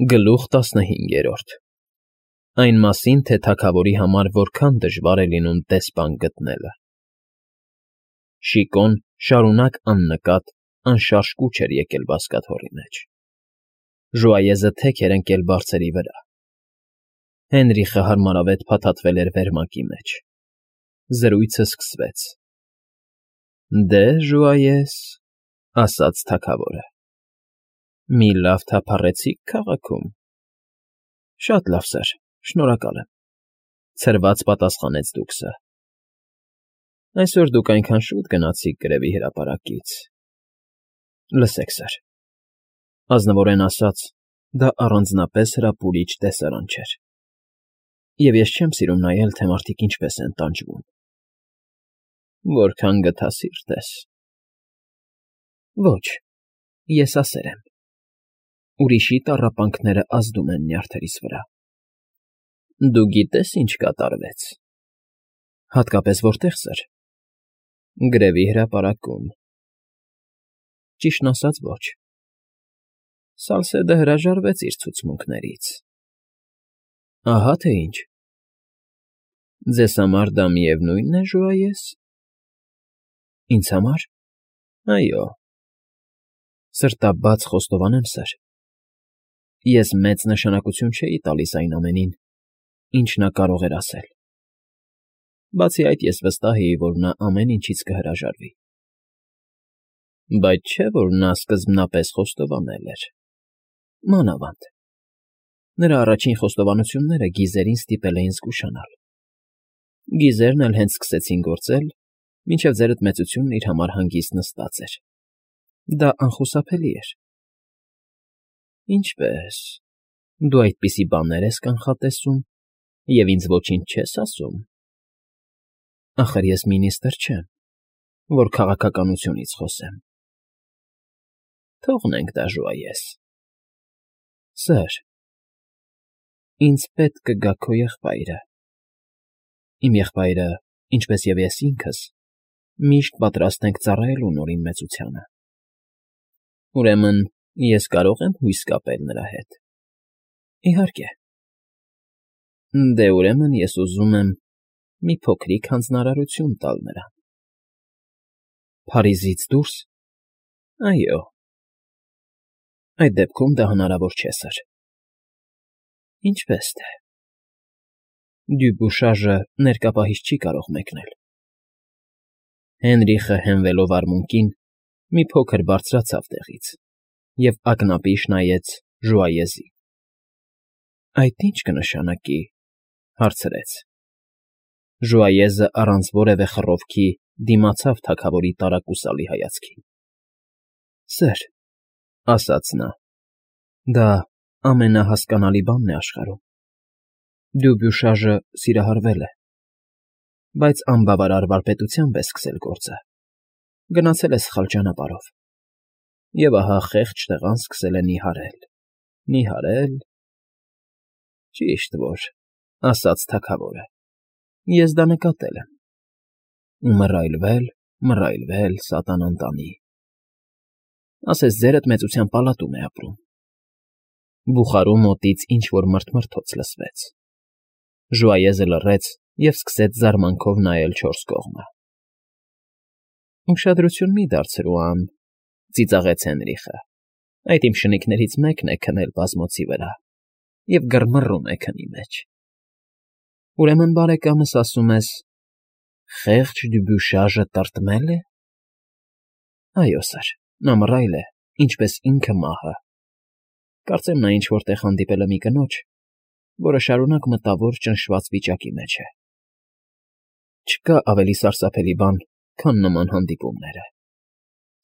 Գլուխ 15 Այն մասին, թե թագավորի համար որքան դժվար է լինում դեսպան գտնելը։ Շիկոն շարունակ աննկատ, անշարժ կուչ էր եկել բազկաթոռի մեջ։ Ժուայեզը թեք էր ընկել բարձերի վրա։ Հենրիխը հարմարավետ փաթաթվել էր վերմակի մեջ։ Զրույցը սկսվեց։ Դե, Ժուայես, ասաց թագավորը, մի լավ թափառեցիք քաղաքում։ Շատ լավ, սըր, շնորհակալ եմ, ցրված պատասխանեց դուքսը։ Այսօր դուք այնքան շուտ գնացիք գրևի հրապարակից։ Լսեք, սըր, ազնվորեն ասած, դա առանձնապես հրապուրիչ տեսարան չէր։ Եվ ես չեմ սիրում նայել, թե մարդիկ ինչպես են տանջվում։ Որքան գթասիրտ ես։ Ոչ, ես ասեր եմ։ Ուրիշի տառապանքները ազդում են նյարդերիս վրա։ Դու գիտես, ինչ կատարվեց։ Հատկապես որտեղ, սըր։ Գրևի հրապարակում։ Ճիշտն ասած, ոչ։ Սալսեդը հրաժարվեց իր ցուցմունքներից։ Ահա թե ինչ։ Ձեզ համար դա միևնույն է, Ժուայես։ Ինձ համար։ Այո։ Սրտաբաց խոստովանեմ, սըր։ Ես մեծ նշանակություն չէի տալիս այն ամենին, ինչ նա կարող էր ասել։ Բացի այդ, ես վստահ էի, որ նա ամեն ինչից կհրաժարվի։ Բայց չէ, որ նա սկզբնապես խոստովանել էր։ Մանավանդ։ Նրա առաջին խոստովանությունները գիզերին ստիպել էին զգուշանալ։ Գիզերն էլ հենց սկսեցին գործել, մինչև ձերդ մեծությունն իր համար հանգիստ նստած էր։ Դա անխուսափելի էր։ Ինչպե՞ս։ Դու այդպիսի բաներ ես կանխատեսում և ինձ ոչինչ չես ասում։ Ախր ես մինիստր չեմ, որ քաղաքականությունից խոսեմ։ Թողնենք դա, Ժուայես։ Սըր, ինձ պետք կգա քո եղբայրը։ Իմ եղբայրը, ինչպես և ես ինքս, միշտ պատրաստ ենք ծառայելու Նորին մեծությանը։ Ուրեմն ես կարող եմ հույս կապել նրա հետ։ Իհարկե։ Դե ուրեմն ես ուզում եմ մի փոքրիկ հանձնարարություն տալ նրան։ Փարիզից դուրս։ Այո։ Այդ դեպքում դա հնարավոր չէ, սըր։ Ինչպես թե։ Դյուբուշաժը ներկա պահից չի կարող մեկնել։ Հենրիխը հենվելով արմունկին, մի փոքր բարձրացավ տեղից և ակնապիշ նայեց Ժուայեզին։ Այդ ի՞նչ կնշանակի, հարցրեց։ Ժուայեզը առանց որևէ խռովքի դիմացավ թագավորի տարակուսալի հայացքին։ Սըր, ասաց նա, դա ամենահասկանալի բանն է աշխարհում։ Դյուբյուշաժը սիրահարվել է, բայց անբավարար վարպետությամբ է սկսել գործը։ Գնացել է սխալ ճանապարհով։ Եվ ահա խեղճ տղան սկսել է նիհարել։ Նիհարել… Ճիշտ որ, ասաց թագավորը, ես դա նկատել եմ։ Ու մռայլվել, սատանան տանի։ Ասես ձերդ մեծության պալատում է ապրում։ Բուխարու մոտից ինչ֊որ մրթմրթոց լսվեց։ Ժուայեզը լռեց և սկսեց զարմանքով նայել չորս կողմը։ Ուշադրություն մի դարձրու, ծիծաղեց Հենրիխը։ Այդ իմ շնիկներից մեկն է քնել բազմոցի վրա և գրմռում է քնի մեջ։ Ուրեմն, բարեկամս, ասում ես, խեղճ Դյուբյուշաժը տրտմե՞լ է։ Այո, սըր, նա մռայլ է, ինչպես ինքը մահը։ Կարծեմ նա ինչ֊որ տեղ հանդիպել է մի կնոջ, որը շարունակ մտավոր ճնշված վիճակի մեջ է։ Չկա ավելի սարսափելի բան, քան նման հանդիպումները։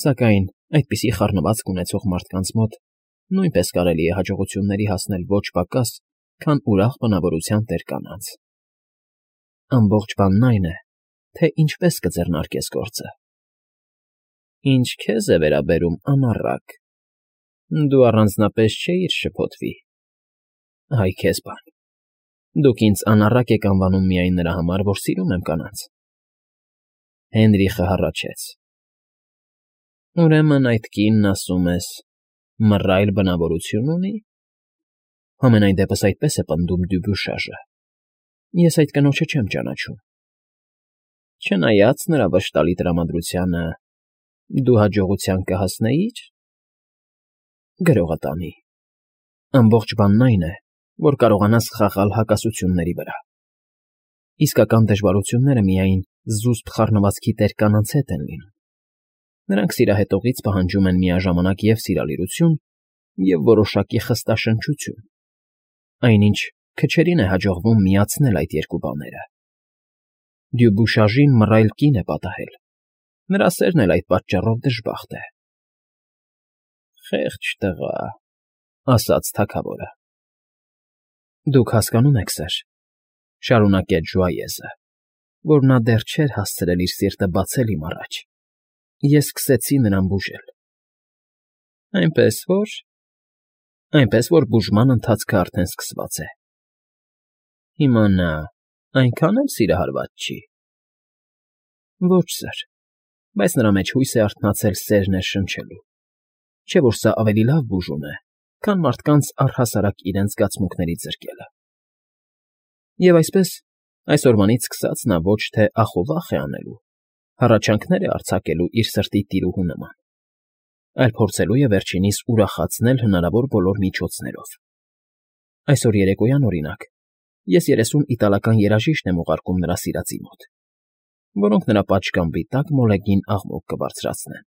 Սակայն այդպիսի խառնվածք ունեցող մարդկանց մոտ նույնպես կարելի է հաջողությունների հասնել ոչ պակաս, քան ուրախ բնավորության տեր կանանց։ Ամբողջ բանն այն է, թե ինչպես կձեռնարկես գործը։ Ինչ քեզ է վերաբերում, անառակ, դու առանձնապես չէիր շփոթվի։ Այ քեզ բան։ Դուք ինձ անառակ եք անվանում միայն նրա համար, որ սիրում եմ կանանց։ Հենրիխը հառաչեց։ Ուրեմն այդ կինն, ասում ես, մռայլ բնավորություն ունի։ Համենայն դեպս այդպես է պնդում Դյուբյուշաժը։ Ես այդ կնոջը չեմ ճանաչում։ Չնայած նրա վշտալի տրամադրությանը, դու հաջողության կհասնեի՞ր։ Գրողը տանի։ Ամբողջ բանն այն է, որ կարողանաս խաղալ հակասությունների վրա։ Իսկական դժվարությունները միայն զուսպ խառնվածքի տեր կանանց հետ են լինում։ Նրանք սիրահետողից պահանջում են միաժամանակ և սիրալիրություն, և որոշակի խստաշնչություն, այնինչ քչերին է հաջողվում միացնել այդ երկու բաները։ Դյուբուշաժին մռայլ կին է պատահել, նրա սերն էլ այդ պատճառով դժբախտ է։ Խեղճ տղա, ասաց թագավորը։ Դուք հասկանում եք, սըր, շարունակեց Ժուայեզը, որ նա դեռ չէր հասցրել իր սիրտը բացել իմ առաջ։ Ես սկսեցի նրան բուժել։ Այնպես որ բուժման ընթացքը արդեն սկսված է։ Հիմա նա այնքան էլ սիրահարված չի։ Ոչ, սըր, բայց նրա մեջ հույս է արթնացել սեր ներշնչելու։ Չէ՞ որ սա ավելի լավ բուժում է, քան մարդկանց առհասարակ իրենց զգացմունքներից զրկելը։ Եվ այսպես, այսօրվանից սկսած նա ոչ թե ախովախ է անելու, հառաչանքներ է արձակելու իր սրտի տիրուհու նման, այլ փորձելու է վերջինիս ուրախացնել հնարավոր բոլոր միջոցներով։ Այսօր երեկոյան, օրինակ, ես 30 իտալական երաժիշտ եմ ուղարկում նրա սիրածի մոտ, որոնք նրա պատշգամբի տակ մոլեգին աղմուկ կբարձրացնեն։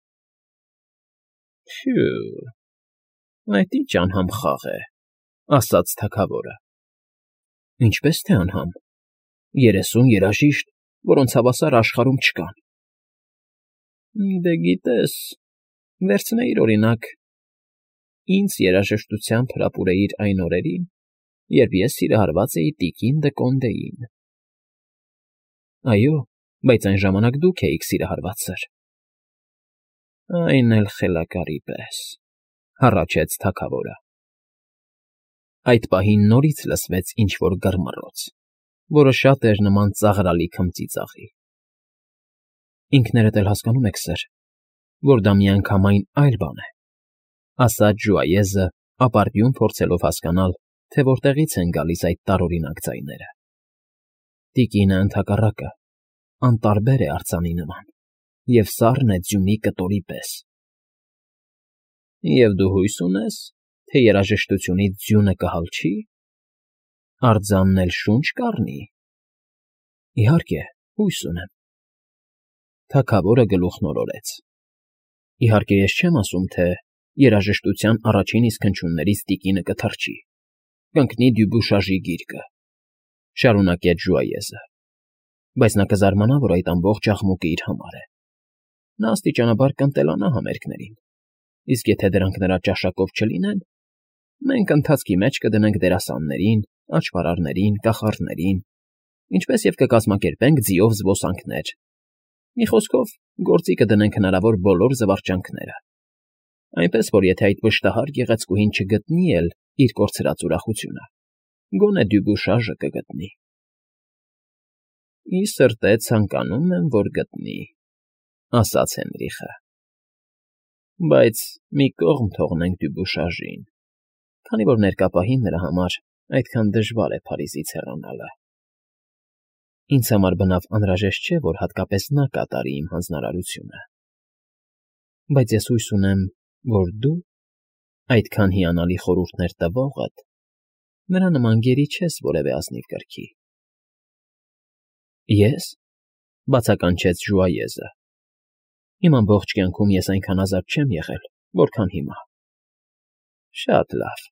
Փյու, այդ ինչ անհամ խաղ է, ասաց թագավորը։ Ինչպես թե անհամ, 30 երաժիշտ, որոնց հավասարը աշխարհում չկան։ Դե գիտես, վերցնեիր, օրինակ, ինձ երաժշտությամբ հրապուրեիր այն օրերին, երբ ես սիրահարված էի տիկին Դը Կոնդեին։ Այո, բայց այն ժամանակ դուք էիք սիրահարված, սըր։ Այն էլ խելակարի պես, հառաչեց թագավորը։ Այդ պահին նորից լսվեց ինչ֊որ գռմռոց, որը շատ էր նման ծաղրալի քմծիծաղի։ Ինքներդ էլ հասկանում եք, սըր, որ դա միանգամայն այլ բան է, ասաց Ժուայեզը, ապարդյուն փորձելով հասկանալ, թե որտեղից են գալիս այդ տարօրինակ ձայները։ Տիկինը ընդհակառակը անտարբեր է արձանի նման, և սառն է ձյունի կտորի պես։ Եվ դու հույս ունես, թե երաժշտությունից ձյունը կհալչի, արձանն էլ շունչ կառնի։ Իհարկե, հույս ունեմ։ Թագավորը գլուխն օրորեց։ Իհարկե, ես չեմ ասում, թե երաժշտության առաջին իսկ հնչյուններից տիկինը կթռչի, կընկնի Դյուբուշաժի գիրկը, շարունակեց Ժուայեզը, բայց նա կզարմանա, որ այդ ամբողջ աղմուկը իր համար է։ Նա աստիճանաբար կընտելանա համերգներին, իսկ եթե դրանք նրա ճաշակով չլինեն, մենք ընթացքի մեջ կդնենք դերասաններին, աճպարարներին, կախարդներին, ինչպես և կկազմակերպենք ձիով զբոսանքներ։ Մի խոսքով, գործի կդնենք հնարավոր բոլոր զվարճանքները, այնպես որ եթե այդ վշտահար գեղեցկուհին չգտնի էլ իր կորցրած ուրախությունը, գոնե Դյուբուշաժը կգտնի։ Ի սրտե ցանկանում եմ, որ գտնի, ասաց Հենրիխը։ Բայց մի կողմ թողնենք Դյուբուշաժին, քանի որ ներկա պահին նրա համար այդքան դժվար է Փարիզից հեռանալը։ Ինձ համար բնավ անհրաժեշտ չէ, որ հատկապես նա կատարի իմ հանձնարարությունը։ Բայց ես հույս ունեմ, որ դու, այդքան հիանալի խորհուրդներ տվողդ, նրա նման գերի չես որևէ ազնիվ կրքի։ Ես, բացականչեց Ժուայեզը, իմ ամբողջ կյանքում ես այնքան ազատ չեմ եղել, որքան հիմա։ Շատ լավ։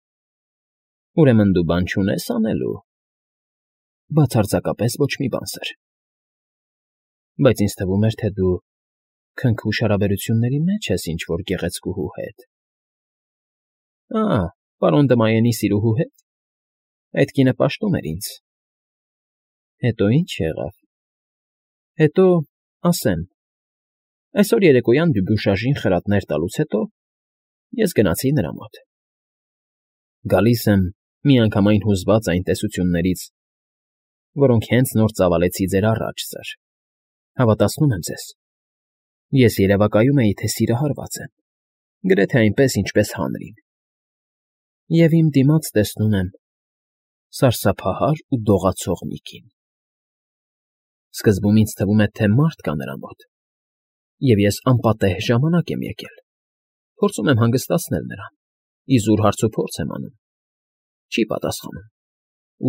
Ուրեմն դու բան չունես անելու։ Բացարձակապես ոչ մի բան, սըր։ Բայց ինձ թվում էր, թե դու քնքուշ հարաբերությունների մեջ ես ինչ֊որ գեղեցկուհու հետ։ Պարոն Դմայենի սիրուհու հետ։ Այդ կինը պաշտում էր ինձ։ Հետո ինչ եղավ։ Հետո, ասեմ, այսօր երեկոյան Դյուբուշաժին խրատներ տալուց հետո ես գնացի նրա մոտ։ Գալիս եմ միանգամայն հուզված այն տեսություններից, որոնք հենց նոր ծավալեցի ձեր առաջ, սըր։ Հավատացնում եմ ձեզ։ Ես երևակայում էի, թե սիրահարված եմ, գրեթե այնպես, ինչպես հանրին։ Եվ իմ դիմաց տեսնում եմ սարսափահար ու դողացող մի կին։ Սկզբում ինձ թվում է, թե մարդ կա նրա մոտ, և ես անպատեհ ժամանակ եմ եկել, փորձում եմ հանգստացնել նրան, իզուր հարցուփորձ եմ անում, չի պատասխանում,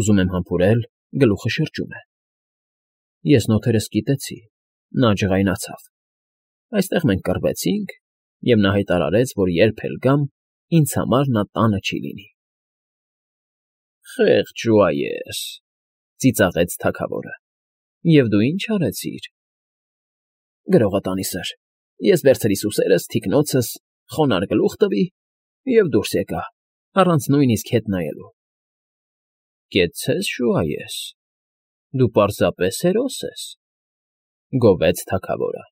ուզում եմ համբուրել, գլուխը շրջում է։ Ես նոթերս կիտեցի, նա ջղայնացավ, այստեղ մենք կռվեցինք, և նա հայտարարեց, որ երբ էլ գամ, ինձ համար նա տանը չի լինի։ Խեղճ Ժուայես,֊ ծիծաղեց թագավորը,֊ և դու ի՞նչ արեցիր։ Գրողը տանի, սըր, ես վերցրի սուսերս, թիկնոցս, խոնարհ գլուխ տվի և դուրս եկա, առանց նույնիսկ հետ նայելու։ Կեցցե՞ս, Ժուայես, դու պարզապես հերոս ես,֊ գովեց թագավորը։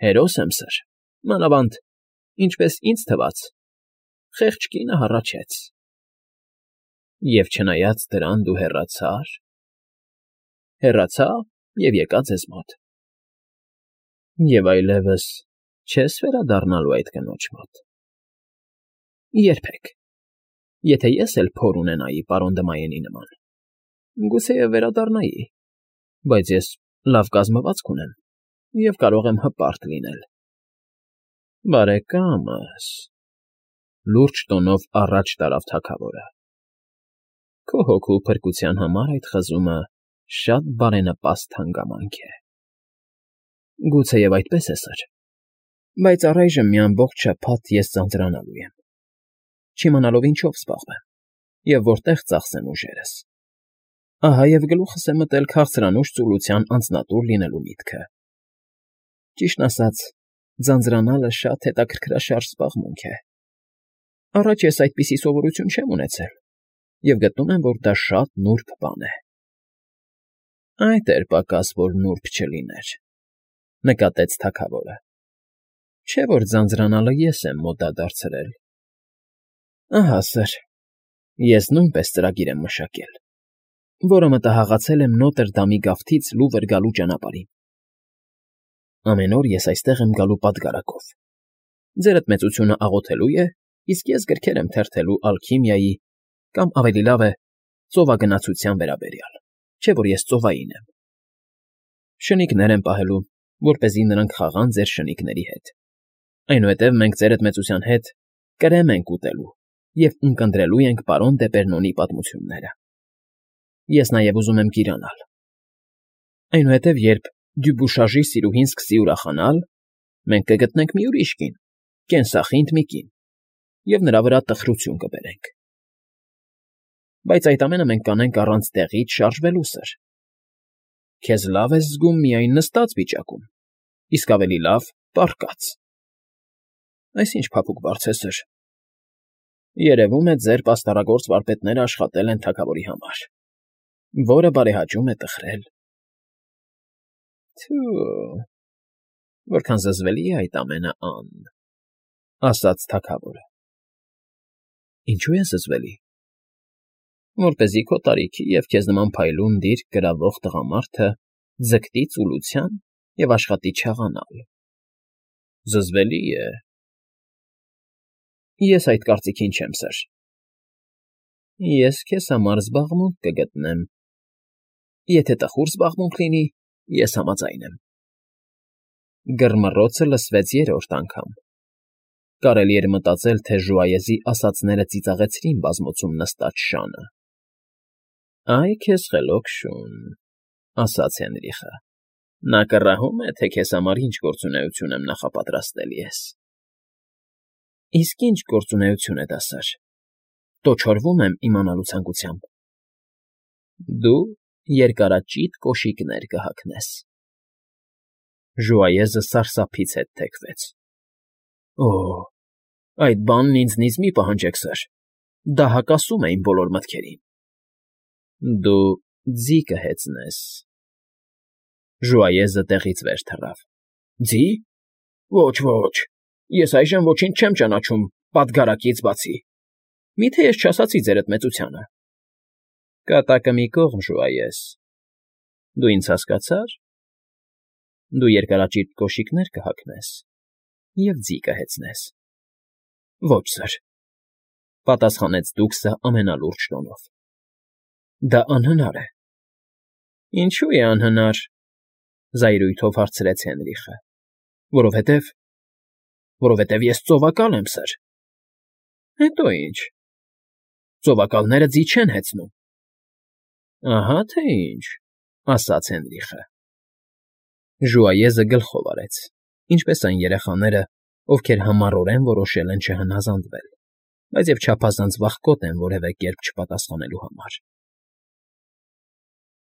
Հերոս եմ, սըր, մանավանդ, ինչպես ինձ թվաց, խեղճ կինը հառաչեց։ Եվ չնայած դրան դու հեռացա՞ր։ Հեռացա և եկա ձեզ մոտ։ Եվ այլևս չե՞ս վերադառնալու այդ կնոջ մոտ։ Երբեք, եթե ես էլ փոր ունենայի պարոն Դմայենի նման, գուցեև վերադառնայի, բայց ես լավ կազմվածք ունեմ և կարող եմ հպարտ լինել։ Բարեկամս,֊ լուրջ տոնով առաջ տարավ թագավորը,֊ քո հոգու փրկության համար այդ խզումը շատ բարենպաստ հանգամանք է։ Գուցեև այդպես է, սըր, բայց առայժմ մի ամբողջ շաբաթ ես ձանձրանալու եմ, չիմանալով ինչով զբաղվեմ և որտեղ ծախսեմ ուժերս։ Ահա և գլուխս է մտել քաղցրանուշ ծուլության անձնատուր լինելու միտքը։ Ճիշտն ասած, ձանձրանալը շատ հետաքրքրաշարժ զբաղմունք է։ Առաջ ես այդպիսի սովորություն չեմ ունեցել և գտնում եմ, որ դա շատ նուրբ բան է։ Այդ էր պակաս, որ նուրբ չլիներ,֊ նկատեց թագավորը։ Չէ՞ որ ձանձրանալը ես եմ մոդադարձրել։ Ահա, սըր, ես նույնպես ծրագիր եմ մշակել, որը մտահղացել եմ Նոտրդամի գավթից Լուվր գալու ճանապարհին։ Ամեն օր ես այստեղ եմ գալու պատգարակով։ Ձերդ մեծությունը աղոթելու է, իսկ ես գրքեր եմ թերթելու ալքիմիայի կամ, ավելի լավ է, ծովագնացության վերաբերյալ, չէ՞ որ ես ծովային եմ։ Շնիկներ եմ պահելու, որպեսզի նրանք խաղան ձեր շնիկների հետ։ Այնուհետև մենք ձերդ մեծության հետ կրեմ ենք ուտելու և ունկնդրելու ենք պարոն Դեպերնոնի պատմությունները։ Ես նաև ուզում եմ գիրանալ։ Այնուհետև, երբ Դյուբուշաժի սիրուհին սկսի ուրախանալ, մենք կգտնենք մի ուրիշ կին, կենսախինդ մի կին, և նրա վրա տխրություն կբերենք։ Բայց այդ ամենը մենք կանենք առանց տեղից շարժվելու, սըր։ Քեզ լավ ես զգում միայն նստած վիճակում, իսկ ավելի լավ՝ պառկած։ Այս ի՞նչ փափուկ բառց է, սըր։ Երևում է, ձեր պաստառագործ վարպետները աշխատել են թագավորի համար, որը բարեհաճում է տխրել։ Թո՛ւ, որքան զզվելի է այդ ամենը, Ան,֊ ասաց թագավորը։ Ինչո՞ւ է զզվելի։ Որպեսզի քո տարիքի և քեզ նման փայլուն դիրք գրավող տղամարդը ձգտի ծուլության և աշխատի չաղանալ։ Զզվելի է։ Ես այդ կարծիքին չեմ, սըր։ Ես քեզ համար զբաղմունք կգտնեմ։ Եթե տխուր զբաղմունք լինի, ես համաձայն եմ։ Գրմռոցը լսվեց երրորդ անգամ։ Կարելի էր մտածել, թե Ժուայեզի ասածները ծիծաղեցրին բազմոցում նստած շանը։ Այ քեզ խելոք շուն,֊ ասաց Հենրիխը։ Նա կռահում է, թե քեզ համար ինչ գործունեություն եմ նախապատրաստել ես։ Իսկ ի՞նչ գործունեություն է դա, սըր։ Տոչորվում եմ իմանալու ցանկությամբ։ Դու երկարաճիտ կոշիկներ կհագնես։ Ժուայեզը սարսափից հետ թեքվեց։ Օ՜, այդ բանն ինձնից մի պահանջեք, սըր, դա հակասում է իմ բոլոր մտքերին։ Դու ձի կհեծնես։ Ժուայեզը տեղից վեր թռավ։ Ձի՞։ Ոչ, ոչ, ես այժմ ոչինչ չեմ ճանաչում պատգարակից բացի։ Մի՞թե ես չասացի ձերդ մեծությանը։ Կատակը մի կողմ, Ժուայես։ Դու ինձ հասկացա՞ր։ Դու երկարաճիտ կոշիկներ կհագնես և ձի կհեծնես։ Ոչ, սըր,֊ պատասխանեց դուքսը ամենալուրջ տոնով։ Դա անհնար է։ ֊ Ինչո՞ւ է անհնար,֊ զայրույթով հարցրեց Հենրիխը։ Որովհետև ես ծովակալ եմ, սըր։ ֊ Հետո ի՞նչ։ Ծովակալները ձի չեն հեծնում։ ֊ Ահա թե ինչ,֊ ասաց Հենրիխը։ Ժուայեզը գլխով արեց, ինչպես այն երեխաները, ովքեր համառորեն որոշել են չհնազանդվել, բայց և չափազանց վախկոտ են որևէ կերպ չպատասխանելու համար։